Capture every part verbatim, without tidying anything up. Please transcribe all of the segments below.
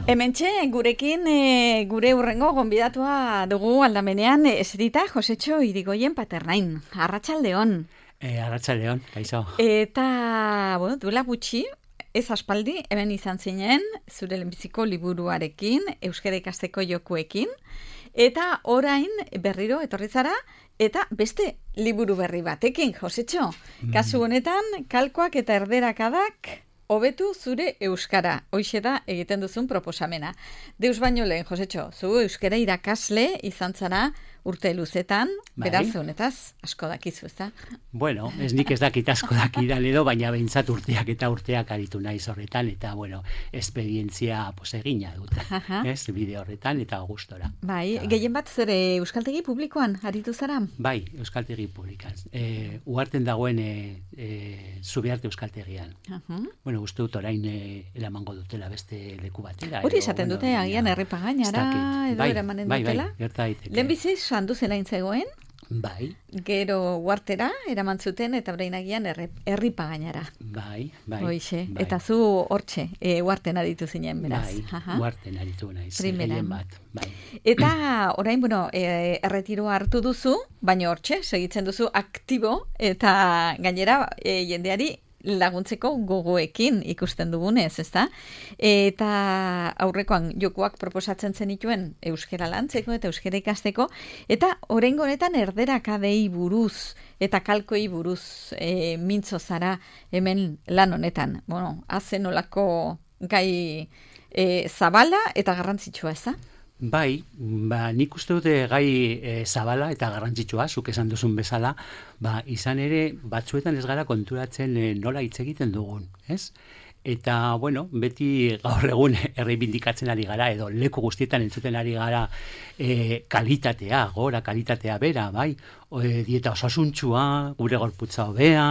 Hementxe, gurekin e, gure urrengo gonbidatua dugu aldamenean eserita Josetxo Irigoyen Paternain. Arratsaldeon. E, Arratsaldeon, kaixo. Eta, bueno, duela gutxi, ez aspaldi, hemen izan zinen, zure lehenbiziko liburuarekin, euskara ikasteko jokuekin, eta orain berriro etorri zara, eta beste liburu berri batekin, Josetxo. Kasu honetan, kalkoak eta erderakadak hobetu zure euskara. Hoixe da egiten duzun proposamena. Deus baino lehen, Josetxo, zu euskara irakasle izan zara urte luzetan, bai. Beraz, honetaz, asko dakizu, ez da? Bueno, ez nik ez dakit asko dakidan edo, baina behintzat urteak eta urteak aritu naiz horretan, eta, bueno, esperientzia pues, egina dut, ez, bide horretan, eta gustora. Bai, eta, gehien bat zure euskaltegi publikoan aritu zara? Bai, euskaltegi publikan. E, uharten dagoen e, e, Zubiarte euskaltegian. Uh -huh. Bueno, uste dut orain e, eramango dutela beste leku batera. Hori esaten dute, bueno, agian errepagainara, edo bai, eramanen bai, dutela? Bai, bai, gerta daiteke. Lehenbizi, sandu zelain zegoen? Bai. Gero uartera, eraman zuten, eta breinagian erripagainara. Bai, bai. Hoixe, bai. Eta zu hortxe, e, uarten aritu zinen, beraz. Bai, uarten aritu naiz. Primeran. Bat, bai. Eta orain, bueno, e, erretiroa hartu duzu, baina hortxe, segitzen duzu aktibo, eta gainera e, jendeari laguntzeko gogoekin ikusten dugunez, ezta? Eta aurrekoan jokuak proposatzen zenituen euskara lantzeko eta euskara ikasteko, eta oraingo honetan erderakadei buruz eta kalkoei buruz e, mintzo zara hemen lan honetan. Bueno, hazen olako gai e, zabala eta garrantzitsua, ezta? Bai, ba, nik uste dute gai e, zabala eta garrantzitsua, zuk esan duzun bezala, ba, izan ere batzuetan ez gara konturatzen e, nola hitz egiten dugun, ez? Eta, bueno, beti gaur egun erreibindikatzen ari gara, edo leku guztietan entzuten ari gara e, kalitatea, gora kalitatea bera, bai? O, e, dieta osasuntsua, gure gorputza hobea,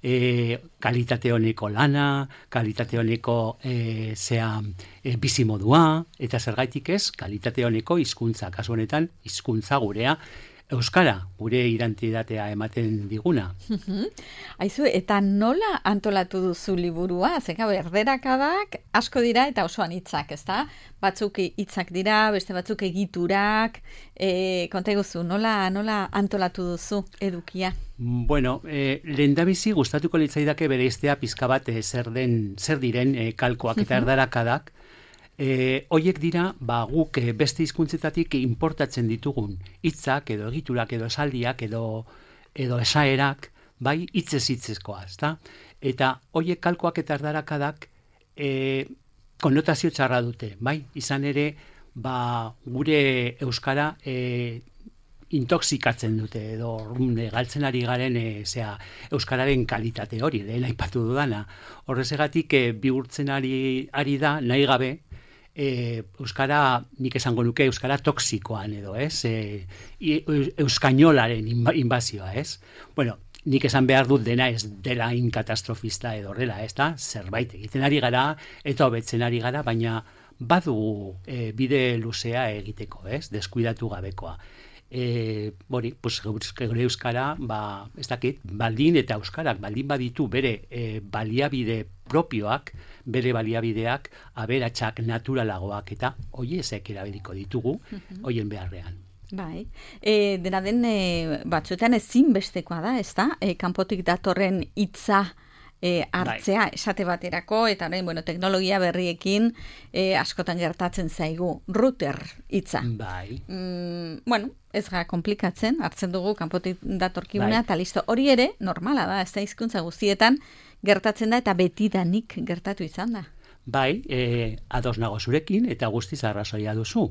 e, kalitate honeko lana, kalitate honeko e, zea e, bizimodua, eta zergaitik ez, kalitate honeko hizkuntza, kasu honetan hizkuntza gurea, euskara, gure identitatea ematen diguna. Aizu, eta nola antolatu duzu liburua? Zeka, erderakadak asko dira eta osoan hitzak, ezta? Batzuk hitzak dira, beste batzuk egiturak, e, konta eguzu, nola, nola antolatu duzu edukia? Bueno, eh, lehendabizi gustatuko litzaidake bereiztea pizka bat eh, zer den, zer diren eh, kalkoak eta erderakadak. E, hoiek dira, ba, guk beste hizkuntzetatik importatzen ditugun hitzak edo egiturak edo esaldiak edo edo esaerak, bai, hitzez hitzezkoa, ezta? Eta hoiek kalkoak eta erdarakadak e, konotazio txarra dute, bai? Izan ere, ba, gure euskara e, intoxikatzen dute edo e, galtzen ari garen e, zera, euskararen kalitate hori, lehen aipatu dudana. Horrezegatik e, bihurtzen ari, ari da, nahi gabe, E, euskara, nik esango nuke, euskara toksikoan edo, ez? E, euskainolaren inbazioa, ez? Bueno, nik esan behar dut dena ez dela inkatastrofista edo horrela, ez da? Zerbait egiten ari gara eta hobetzen ari gara, baina badugu e, bide luzea egiteko, ez? Deskuidatu gabekoa. E, bori, pues, gure euskara, ba, ez dakit, baldin eta euskarak, baldin baditu bere e, baliabide propioak, bere baliabideak, aberatsak naturalagoak, eta hoiezek erabiliko ditugu, hoien beharrean. Bai, e, dena den e, batzuetan ezinbestekoa da, ez da? E, kanpotik datorren hitza E, hartzea, bai. Esate baterako, eta orain, bueno, teknologia berriekin e, askotan gertatzen zaigu router hitza. Bai. Mm, bueno, ez ga komplikatzen, hartzen dugu kanpotik datorkiguna, eta bai. Listo, hori ere, normala da, ez da hizkuntza guztietan gertatzen da, eta betidanik gertatu izan da. Bai, e, ados nago zurekin, eta guztiz arrazoia duzu.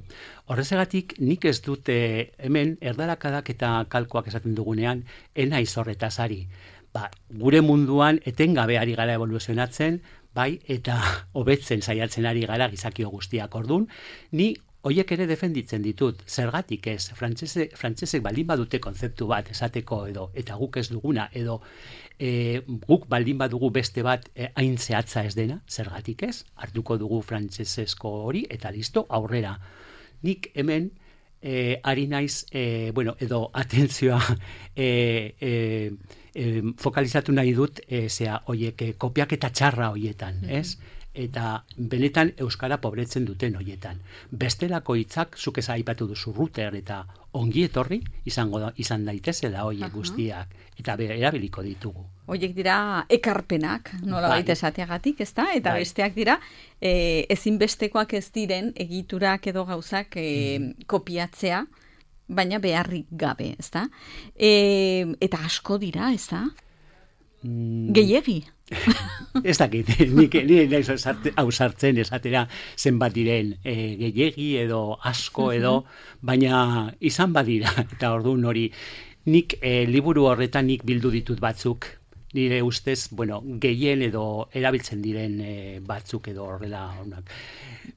Horrezegatik, nik ez dute hemen erdarakadak eta kalkoak esaten dugunean, enaiz horretaz ari. Ba, gure munduan etengabe ari gara evoluzionatzen, bai, eta hobetzen saiatzen ari gara gizakio guztiak ordun, ni hoiek ere defenditzen ditut, zergatik ez, frantsese, frantsesek baldin badute konzeptu bat esateko edo, eta guk ez duguna, edo e, guk baldin badugu beste bat e, hain zehatza ez dena, zergatik ez, hartuko dugu frantsesesko hori, eta listo, aurrera. Nik hemen, e, ari naiz, e, bueno, edo atentzioa, e, e, E, fokalizatu nahi dut, e, zea, oiek, e, kopiak eta txarra hoietan, ez? eta benetan euskara pobretzen duten hoietan. Bestelako hitzak zuk ez aipatu duzu router eta ongi etorri izango da, izan daitezela hoiek guztiak eta be, erabiliko ditugu. Hoiek dira ekarpenak, nola bai. baita esateagatik, ezta? Eta bai. Besteak dira e, ezinbestekoak ez diren egiturak edo gauzak e, mm. kopiatzea, baina beharrik gabe, ezta? E, eta asko dira, ezta? Mm. Gehiegi. Ez dakit, nik nire hau sartzen esatera zenbat diren e, gehiegi edo asko edo, baina izan badira, eta orduan hori, nik e, liburu horretan nik bildu ditut batzuk, nire ustez, bueno, gehien edo erabiltzen diren e, batzuk edo horrela honak.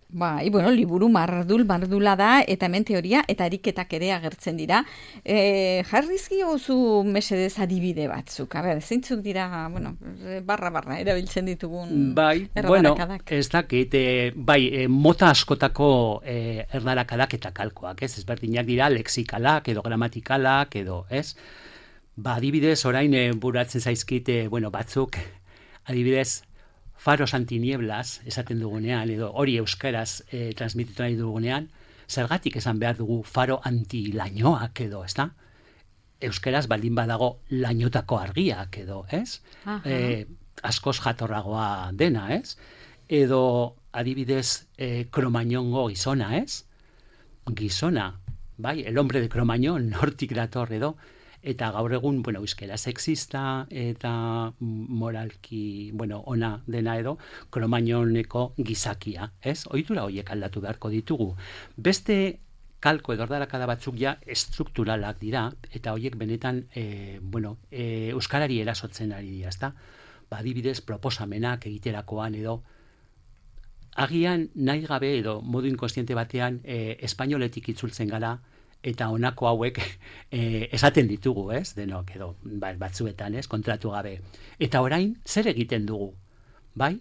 Bai, bueno, liburu mardul, mardula da, eta hemen teoria, eta ariketak ere agertzen dira. E, jarrizki oso mesedez adibide batzuk. A ber, zeintzuk dira, bueno, barra-barra erabiltzen ditugun bai, erdarakadak. Bueno, ez dakit, e, bai, e, mota askotako e, erdarakadak eta kalkoak, ez? Ezberdinak dira, lexikalak edo gramatikalak edo, ez? Ba, adibidez, orain e, buratzen zaizkite, bueno, batzuk, adibidez, faros antinieblas esaten dugunean, edo hori euskaraz e, transmititu nahi dugunean, zergatik esan behar dugu faro antilainoak edo, ez da? Euskaraz baldin badago lainotako argiak edo, ez? E, askoz jatorragoa dena, ez? Edo adibidez e, kromañongo gizona, ez? Gizona, bai, el hombre de Cromañón, hortik dator edo, eta gaur egun, bueno, euskera sexista eta moralki, bueno, ona dena edo, Kromañoneko gizakia, ez? Ohitura horiek aldatu beharko ditugu. Beste kalko edo erdarakada batzuk ja estrukturalak dira, eta horiek benetan, e, bueno, e, euskarari erasotzen ari dira, ezta? Ba, adibidez, proposamenak egiterakoan edo, agian nahi gabe edo modu inkostiente batean e, espainoletik itzultzen gara, eta honako hauek e, esaten ditugu, ez? Denok edo batzuetan, ez? Kontratu gabe. Eta orain, zer egiten dugu? Bai?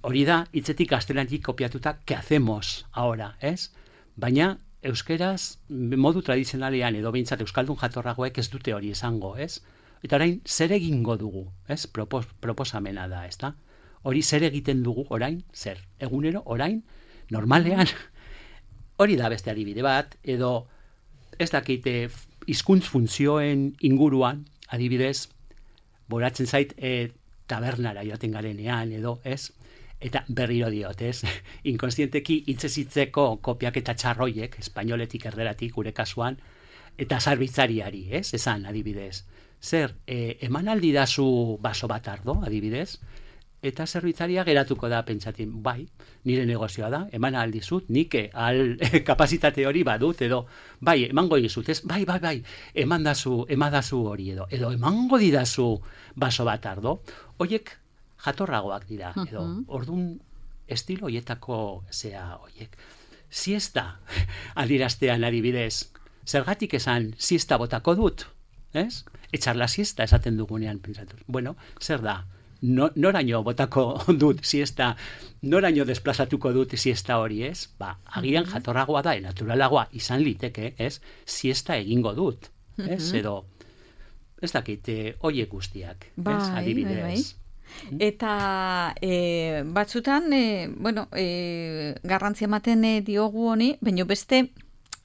Hori da, hitzetik gaztelanitik kopiatuta, ¿qué hacemos ahora, ez? Baina, euskeraz, modu tradizionalean edo behintzat euskaldun jatorragoek ez dute hori esango, ez? Eta orain, zer egingo dugu, ez? Propos, proposamena da, ez da? Hori zer egiten dugu, orain, zer? Egunero, orain, normalean, hori da beste adibide bat, edo ez dakite hizkuntz funtzioen inguruan, adibidez, boratzen zait e, tabernara joaten garenean, edo, ez? Eta berriro diot, ez? Inkonstienteki hitzez-hitzeko kopiak eta txarroiek, espainoletik erderatik, gure kasuan, eta zarbitzariari, ez? Esan, adibidez. Zer, e, eman aldi dazu baso bat ardo, adibidez, eta zerbitzaria geratuko da pentsatzen, bai, nire negozioa da, eman aldizut, nik al kapazitate hori badut, edo, bai, emango dizut, ez, bai, bai, bai, eman dazu, eman dazu hori, edo, edo emango didazu baso bat ardo, horiek jatorragoak dira, edo, ordun estilo hoietako zea horiek. Siesta, adiraztean adibidez, zergatik esan siesta botako dut, ez? Etxar la siesta esaten dugunean, pentsatu, bueno, zer da? No, noraino botako dut siesta, noraino desplazatuko dut siesta hori, ez? Ba, agian jatorragoa da, naturalagoa izan liteke, ez? Siesta egingo dut, ez? Edo, ez dakit, hoiek guztiak, ez? Adibidez. Bai, bai. Eta e, batzutan, e, bueno, e, garrantzia ematen e, diogu honi, baina beste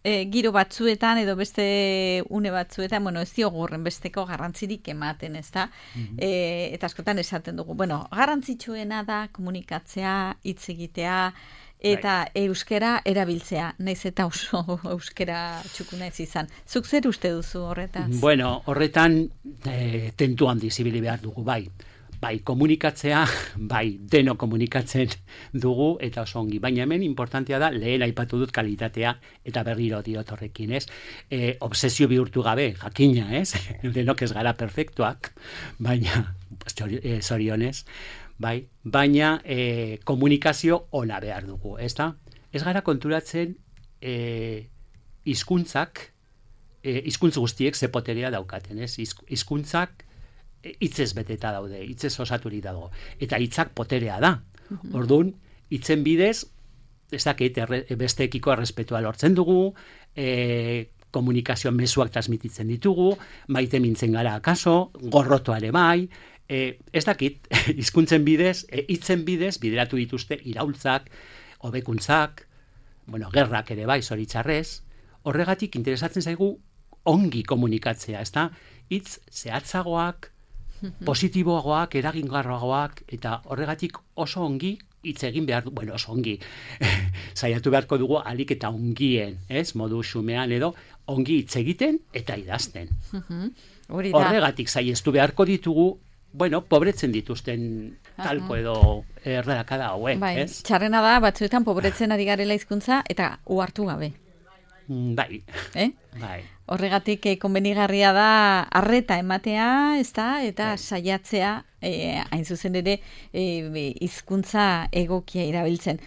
e, giro batzuetan edo beste une batzuetan, bueno, ez diogu horren besteko garrantzirik ematen, ez da? Mm-hmm. E, eta askotan esaten dugu, bueno, garrantzitsuena da komunikatzea, hitz egitea, eta right. Euskera erabiltzea, naiz eta oso euskera txukuna ez izan. Zuk zer uste duzu horretaz? Bueno, horretan e, tentu handi zibili behar dugu, bai. Bai, komunikatzea, bai, deno komunikatzen dugu, eta oso ongi. Baina hemen importantea da, lehen aipatu dut kalitatea, eta berriro diot horrekin, ez? E, obsesio bihurtu gabe, jakina, ez? Denok ez gara perfektuak, baina, zorionez, bai, baina e, komunikazio ona behar dugu, ez da? Ez gara konturatzen e, hizkuntzak, e, hizkuntz guztiek ze poterea daukaten, ez? Hizkuntzak hitzez beteta daude, hitzez osaturik dago. Eta hitzak poterea da. Mm-hmm. Orduan, hitzen bidez, ez dakit, besteekiko errespetua lortzen dugu, e, komunikazio mezuak transmititzen ditugu, maite mintzen gara akaso, gorrotoare bai, E, ez dakit, hizkuntzen bidez, e, hitzen bidez, bideratu dituzte iraultzak, hobekuntzak, bueno, gerrak ere bai, zoritxarrez, horregatik interesatzen zaigu ongi komunikatzea, ez da? Hitz zehatzagoak, positiboagoak, eragingarroagoak, eta horregatik oso ongi hitz egin behar du, bueno, oso ongi, saiatu beharko dugu alik eta ongien, ez? Modu xumean edo, ongi hitz egiten eta idazten. Horregatik saiestu beharko ditugu, bueno, pobretzen dituzten talko edo erdarakada hauek, bai, ez? Txarrena da, batzuetan pobretzen ari garela hizkuntza eta uhartu gabe. Bai. Eh? Bai. Horregatik eh, konbenigarria da arreta ematea, ez da, eta bai. Saiatzea, eh, hain zuzen ere, hizkuntza eh, egokia irabiltzen.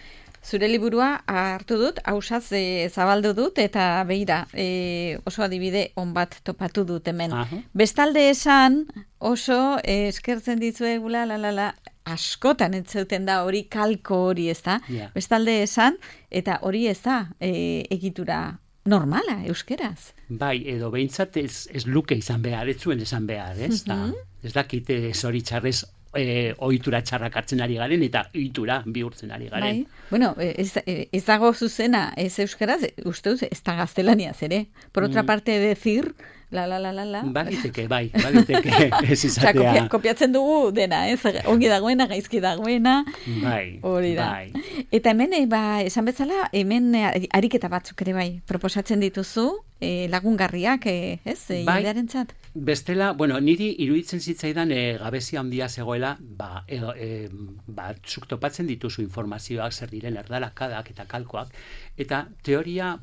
Zure liburua hartu dut, hausaz e, zabaldu dut, eta beira, e, oso adibide on bat topatu dut hemen. Aha. Bestalde esan, oso e, eskertzen ditzuegula, la, la, la, askotan entzeuten da hori kalko hori, ez da? Yeah. Bestalde esan, eta hori ez da e, egitura normala, euskeraz. Bai, edo behintzat ez, ez luke izan behar, ez zuen esan behar, ez da? Mm-hmm. Ez dakite zoritxarrez E, ohitura txarrak hartzen ari garen eta ohitura bihurtzen ari garen. Bai. Bueno, ez, ez dago zuzena, ez euskaraz, uste duz, ez da gaztelaniaz ere. Por otra mm. parte, decir, la, la, la, la, la. Baliteke, bai, baliteke, ez izatea. Osa, kopia, kopiatzen dugu dena, ez? Ongi dagoena, gaizki dagoena. Bai, hori da. bai. Eta hemen, ba, esan bezala, hemen ariketa batzuk ere bai, proposatzen dituzu, e, lagungarriak, e, ez, e, bai. Jendearentzat. Bestela, bueno, niri iruditzen zitzaidan e, gabezia handia zegoela, ba, e, e, ba, zuk topatzen dituzu informazioak zer diren erdalakadak eta kalkoak, eta teoria,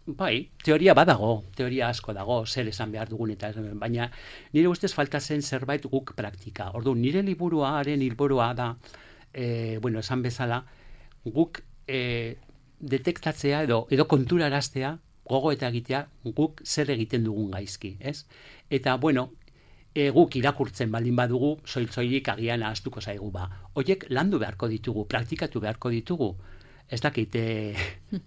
bai, teoria badago, teoria asko dago, zer esan behar dugun, eta baina nire ustez falta zen zerbait guk praktika. Ordu, nire liburuaren helburua da, e, bueno, esan bezala, guk e, detektatzea edo, edo konturaraztea, gogo eta egitea guk zer egiten dugun gaizki, ez? Eta, bueno, e, guk irakurtzen baldin badugu, soil-soilik agian ahaztuko zaigu ba. Oiek landu beharko ditugu, praktikatu beharko ditugu. Ez dakit, e,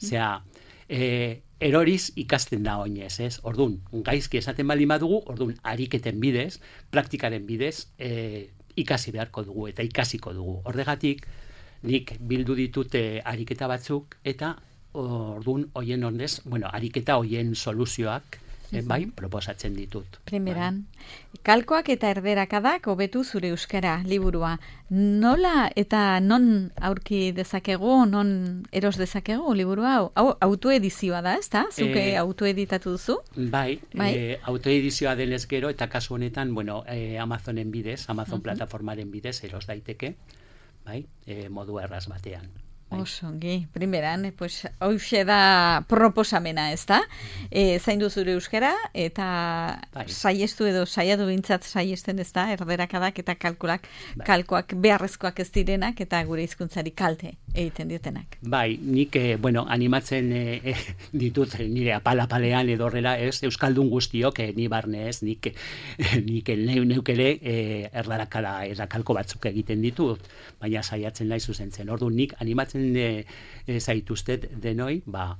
zera, e, eroriz ikasten da oinez, ez? Ordun, gaizki esaten baldin badugu, ordun, ariketen bidez, praktikaren bidez, e, ikasi beharko dugu eta ikasiko dugu. Horregatik, nik bildu ditute ariketa batzuk, eta ordun hoien honez, bueno, ariketa hoien soluzioak, eh, bai, proposatzen ditut. Primeran, bai. Kalkoak eta erderakadak hobetu zure euskara liburua. Nola eta non aurki dezakegu, non eros dezakegu liburua? Hau autoedizioa da, ez da? Zuke eh, autoeditatu duzu? Bai, bai? Eh, autoedizioa denez gero, eta kasu honetan, bueno, eh, Amazonen bidez, Amazon uh-huh. plataformaren bidez, eros daiteke, bai, eh, modu erraz batean. Osongi, primeran, pues, hoxe da proposamena, ez da? E, zaindu zure euskara, eta bai. Saiestu edo saiatu bintzat saiesten, ez da? Erderakadak eta kalkulak, bai. Kalkoak beharrezkoak ez direnak, eta gure hizkuntzari kalte egiten diotenak. Bai, nik, eh, bueno, animatzen eh, eh, ditut nire apalapalean edo horrela, ez? Euskaldun guztiok, eh, ni barne ez, nik, eh, nik neu, neukele eh, erdarakala, erdakalko batzuk egiten ditut, baina saiatzen nahi zuzentzen. Ordu, nik animatzen E, e, zaituztet denoi, ba,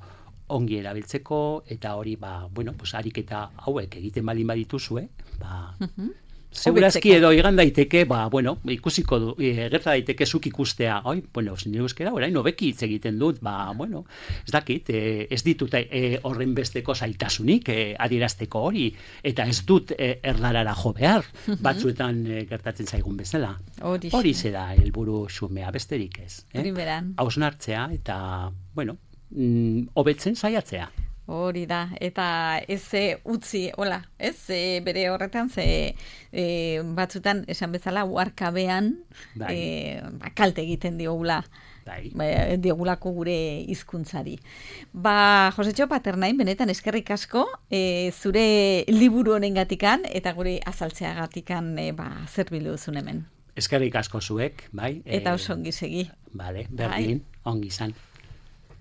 ongi erabiltzeko, eta hori, ba, bueno, pues, ariketa hauek egiten balin badituzue, ba, uh-huh. segurazki edo egan daiteke, ba, bueno, ikusiko du, e, gerta daiteke zuk ikustea, oi, bueno, nire euskera, orain, nobeki hitz egiten dut, ba, bueno, ez dakit, e, ez ditut e, horren besteko zailtasunik e, adierazteko hori, eta ez dut e, erdarara jo behar, uh-huh. batzuetan e, gertatzen zaigun bezala. Hori zera helburu xumea, besterik ez. Eh? Primeran. Hausnartzea, eta, bueno, mm, hobetzen saiatzea. Hori da, eta ez e, utzi, hola, ez e, bere horretan, ze e, batzutan, esan bezala, uarkabean bai. e, kalte egiten diogula, bai. e, diogulako gure hizkuntzari. Ba, Josetxo Paternain, benetan eskerrik asko, e, zure liburu honengatikan, eta gure azaltzeagatikan e, ba, zer bildu duzun hemen. Eskerrik asko zuek, bai. Eta oso ongi segi. Bale, berdin, bai. Ongi izan.